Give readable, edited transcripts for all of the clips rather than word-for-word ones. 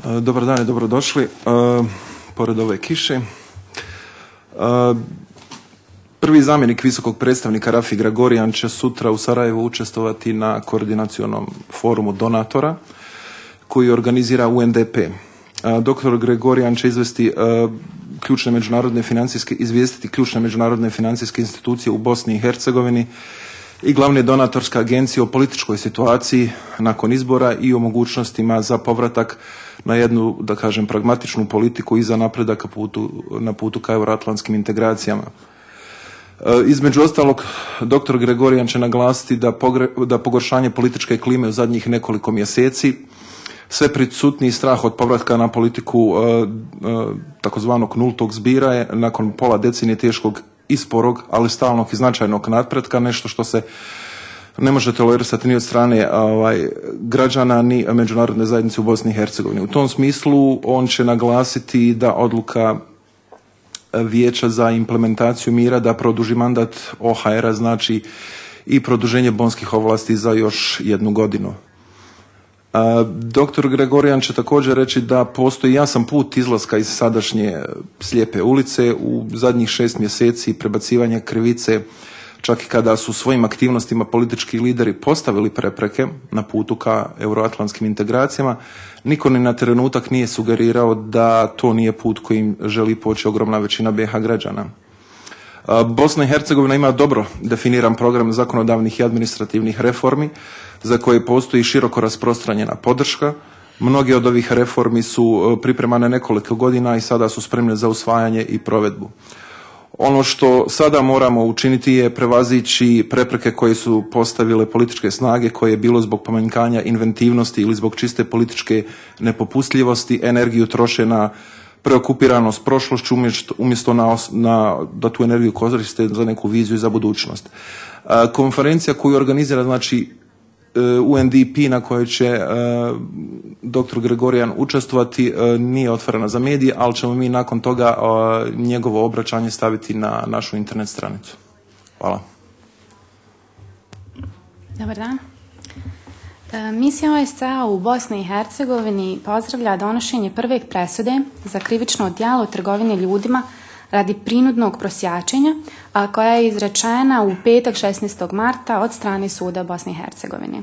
Dobar dan i dobrodošli. Pored ove kiše. Prvi zamjenik visokog predstavnika Rafi Gregorijan će sutra u Sarajevu učestvovati na koordinacionom forumu donatora koji organizira UNDP. Dr. Gregorijan će izvijestiti ključne međunarodne financijske institucije u Bosni i Hercegovini i glavne donatorske agencije o političkoj situaciji nakon izbora i o mogućnostima za povratak na jednu, da kažem, pragmatičnu politiku i za napredak na putu ka euroatlantskim integracijama. Između ostalog, dr. Gregorijan će naglasiti da pogoršanje političke klime u zadnjih nekoliko mjeseci, sve prisutniji strah od povratka na politiku takozvanog nultog zbira je nakon pola decenije teškog i sporog, ali stalnog i značajnog napretka, nešto što se ne može tolerisati ni od strane građana ni međunarodne zajednice u Bosni i Hercegovini. U tom smislu on će naglasiti da odluka Vijeća za implementaciju mira da produži mandat OHR-a znači i produženje bonskih ovlasti za još 1 godinu. Dr. Gregorijan će također reći da postoji jasan put izlaska iz sadašnje slijepe ulice. U zadnjih 6 mjeseci prebacivanje krivice, čak i kada su svojim aktivnostima politički lideri postavili prepreke na putu ka euroatlantskim integracijama, niko ni na trenutak nije sugerirao da to nije put kojim želi poći ogromna većina BiH građana. Bosna i Hercegovina ima dobro definiran program zakonodavnih i administrativnih reformi za koje postoji široko rasprostranjena podrška. Mnoge od ovih reformi su pripremane nekoliko godina i sada su spremne za usvajanje i provedbu. Ono što sada moramo učiniti je prevazići prepreke koje su postavile političke snage koje je bilo zbog pomanjkanja inventivnosti ili zbog čiste političke nepopustljivosti energiju troše na preokupiranost prošlošću umjesto da tu energiju koriste za neku viziju za budućnost. Konferencija koju organizira UNDP na kojoj će dr. Gregorijan učestvovati nije otvorena za medije, ali ćemo mi nakon toga njegovo obraćanje staviti na našu internet stranicu. Hvala. Dobar dan. Misija OSCE u Bosni i Hercegovini pozdravlja donošenje prve presude za krivično djelo trgovine ljudima radi prinudnog prosjačenja, a koja je izrečena u petak 16. marta od strane suda Bosne i Hercegovine.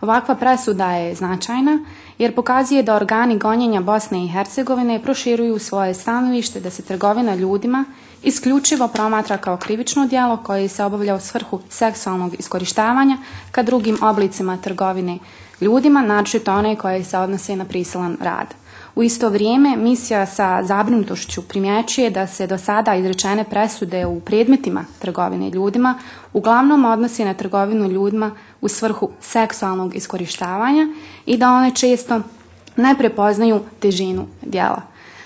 Ovakva presuda je značajna jer pokazuje da organi gonjenja Bosne i Hercegovine proširuju svoje stanovište da se trgovina ljudima isključivo promatra kao krivično djelo koje se obavlja u svrhu seksualnog iskorištavanja ka drugim oblicima trgovine ljudima, naročito one koje se odnose na prisilan rad. U isto vrijeme misija sa zabrinutošću primjećuje da se do sada izrečene presude u predmetima trgovine ljudima uglavnom odnosi na trgovinu ljudima u svrhu seksualnog iskorištavanja i da one često ne prepoznaju težinu djela.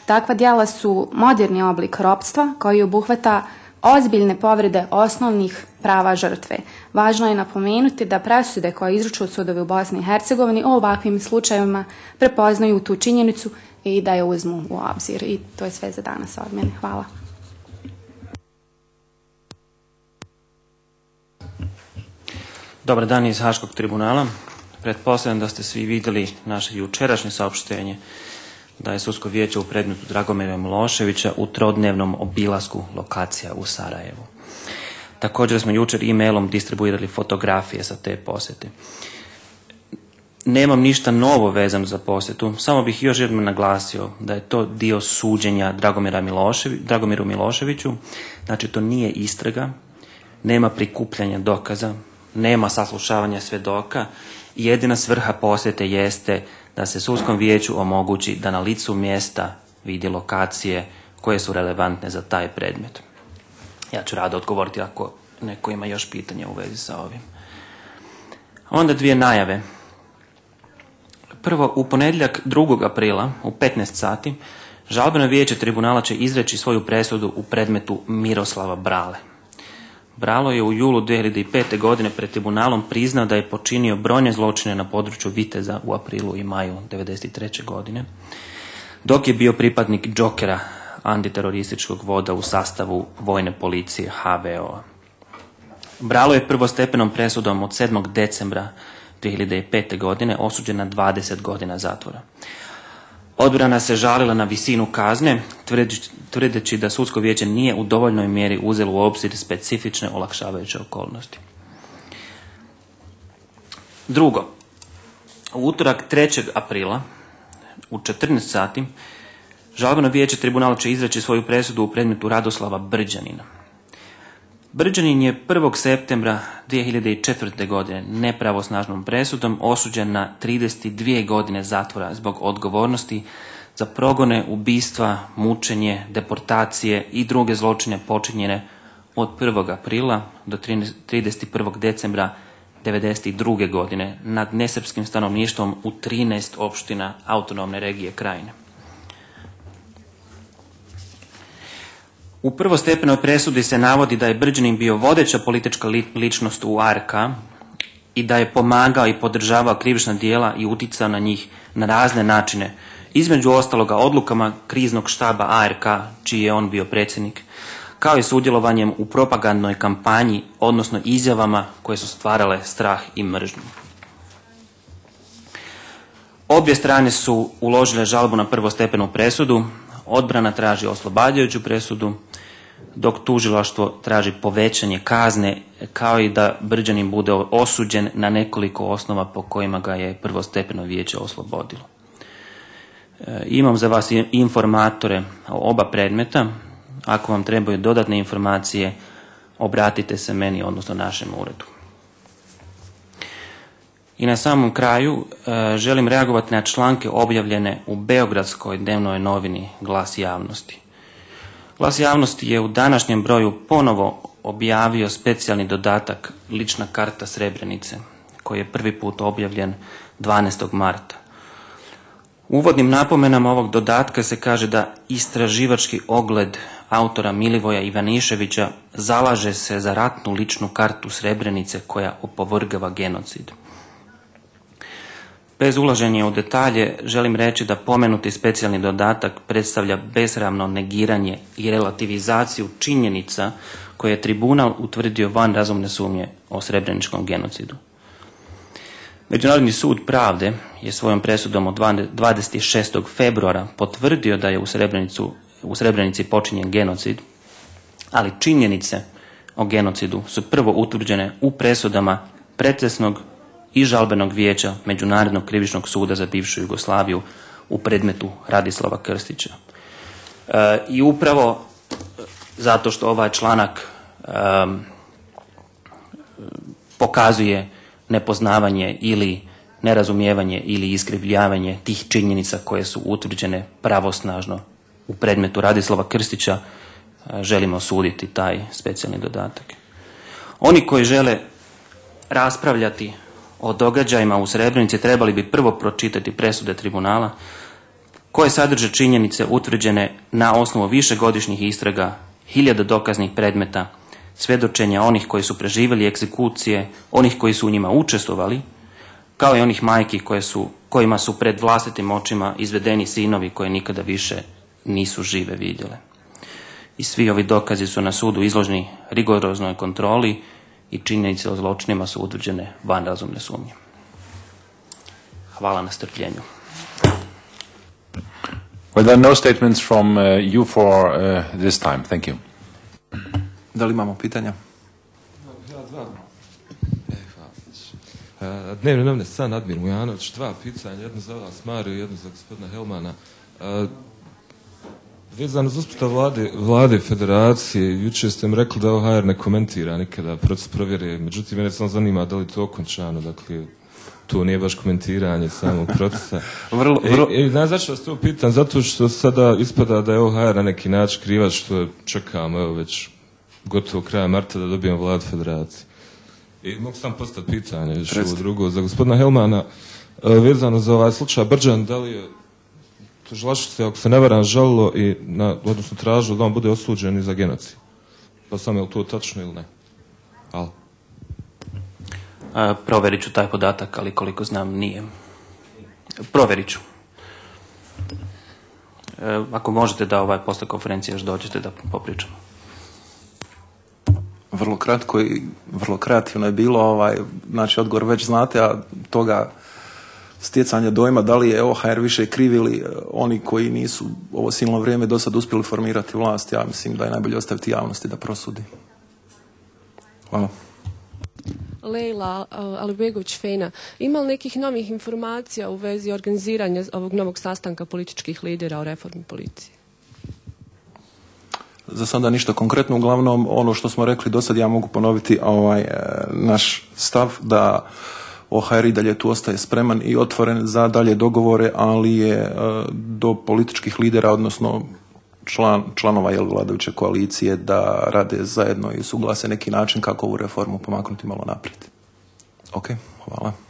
Takva djela su moderni oblik ropstva koji obuhvata ozbiljne povrede osnovnih prava žrtve. Važno je napomenuti da presude koje izručuju sudovi u Bosni i Hercegovini o ovakvim slučajevima prepoznaju tu činjenicu i da je uzmu u obzir. I to je sve za danas od mene. Hvala. Dobar dan iz Haškog tribunala. Pretpostavljam da ste svi vidjeli naše jučerašnje saopštenje da je sudsko vijeće u predmetu Dragomira Miloševića u trodnevnom obilasku lokacija u Sarajevu. Također smo jučer e-mailom distribuirali fotografije sa te posjete. Nemam ništa novo vezano za posjetu, samo bih još jednom naglasio da je to dio suđenja Dragomiru Miloševiću, znači to nije istraga, nema prikupljanja dokaza, nema saslušavanja svjedoka i jedina svrha posjete jeste da se sudskom vijeću omogući da na licu mjesta vidi lokacije koje su relevantne za taj predmet. Ja ću rado odgovoriti ako neko ima još pitanja u vezi sa ovim. Onda 2 najave. Prvo, u ponedjeljak 2. aprila u 15 sati žalbeno vijeće tribunala će izreći svoju presudu u predmetu Miroslava Brale. Bralo je u julu 2005. godine pred tribunalom priznao da je počinio brojne zločine na području Viteza u aprilu i maju 1993. godine, dok je bio pripadnik Džokera, antiterorističkog voda u sastavu vojne policije HVO. Bralo je prvostepenom presudom od 7. decembra 2005. godine osuđen na 20 godina zatvora. Odbrana se žalila na visinu kazne, tvrdeći da sudsko vijeće nije u dovoljnoj mjeri uzelo u obzir specifične olakšavajuće okolnosti. Drugo, u utorak 3. aprila u 14 sati žalbeno vijeće tribunala će izreći svoju presudu u predmetu Radoslava Brđanina. Brđanin je 1. septembra 2004. godine nepravosnažnom presudom osuđen na 32 godine zatvora zbog odgovornosti za progone, ubistva, mučenje, deportacije i druge zločine počinjene od 1. aprila do 31. decembra 1992. godine nad nesrpskim stanovništvom u 13 opština autonomne regije Krajine. U prvostepenoj presudi se navodi da je Brđanin bio vodeća politička ličnost u ARK i da je pomagao i podržavao krivična djela i uticao na njih na razne načine, između ostaloga odlukama kriznog štaba ARK, čiji je on bio predsjednik, kao i sudjelovanjem u propagandnoj kampanji, odnosno izjavama koje su stvarale strah i mržnju. Obje strane su uložile žalbu na prvostepenu presudu, odbrana traži oslobađajuću presudu, dok tužilaštvo traži povećanje kazne, kao i da Brđanin bude osuđen na nekoliko osnova po kojima ga je prvostepeno vijeće oslobodilo. Imam za vas informatore o oba predmeta. Ako vam trebaju dodatne informacije, obratite se meni, odnosno našem uredu. I na samom kraju želim reagovati na članke objavljene u beogradskoj dnevnoj novini Glas javnosti. Glas javnosti je u današnjem broju ponovo objavio specijalni dodatak Lična karta Srebrenice, koji je prvi put objavljen 12. marta. U uvodnim napomenama ovog dodatka se kaže da istraživački ogled autora Milivoja Ivaniševića zalaže se za ratnu ličnu kartu Srebrenice koja opovrgava genocid. Bez ulaženja u detalje želim reći da pomenuti specijalni dodatak predstavlja besramno negiranje i relativizaciju činjenica koje je tribunal utvrdio van razumne sumnje o srebreničkom genocidu. Međunarodni sud pravde je svojom presudom od 26. februara potvrdio da je u Srebrenici počinjen genocid, ali činjenice o genocidu su prvo utvrđene u presudama Procesnog i žalbenog vijeća Međunarodnog krivičnog suda za bivšu Jugoslaviju u predmetu Radislava Krstića. I upravo zato što ovaj članak pokazuje nepoznavanje ili nerazumijevanje ili iskrivljavanje tih činjenica koje su utvrđene pravosnažno u predmetu Radislava Krstića, želimo osuditi taj specijalni dodatak. Oni koji žele raspravljati o događajima u Srebrenici trebali bi prvo pročitati presude tribunala koje sadrže činjenice utvrđene na osnovu višegodišnjih istraga, 1000 dokaznih predmeta, svjedočenja onih koji su preživjeli egzekucije, onih koji su u njima učestvovali, kao i onih majki kojima su pred vlastitim očima izvedeni sinovi koje nikada više nisu žive vidjele. I svi ovi dokazi su na sudu izloženi rigoroznoj kontroli i činjenice o zločinima su utvrđene van razumne sumnje. Hvala na strpljenju. Well, there are no statements from you for this time. Thank you. Da li imamo pitanja? Dnevne novine San Admir Mujanović, 2 pitanja, jedno za vas Mariju, jedno za gospodina Helmana. Vezano za uspostav vlade federacije, jučer ste mi rekli da OHR ne komentira nikada proces provjere, međutim mene samo zanima da li to okončano, dakle to nije baš komentiranje samog procesa. Znaš zašto vas to pitam? Zato što sada ispada da je OHR na neki način krivac što čekamo evo već gotovo kraja marta da dobijemo vladu federacije. I mogu sam postati pitanje još ovo drugo za gospodina Helmana, vezano za ovaj slučaj Brđan, da li je tužilaštvo se, ako se ne varam, žalilo i odnosno tražilo da on bude osuđen i za genocid. Pa samo je li to tačno ili ne? Hvala. Provjerit ću taj podatak, ali koliko znam nije. Provjerit ću. Ako možete da posle konferencije još dođete da popričamo. Vrlo kratko i vrlo kreativno je bilo, znači odgovor već znate, a toga stjecanja dojma da li je OHR više kriv ili oni koji nisu ovo silno vrijeme do sad uspjeli formirati vlast. Ja mislim da je najbolje ostaviti javnosti da prosudi. Hvala. Lejla Alibegović-Fejna, ima li nekih novih informacija u vezi organiziranja ovog novog sastanka političkih lidera o reformi policije? Za sada ništa konkretno, uglavnom ono što smo rekli do sad, ja mogu ponoviti naš stav da OHR i dalje tu ostaje spreman i otvoren za dalje dogovore, ali je do političkih lidera, odnosno članova vladajuće koalicije da rade zajedno i suglase neki način kako ovu reformu pomaknuti malo naprijed. Ok, hvala.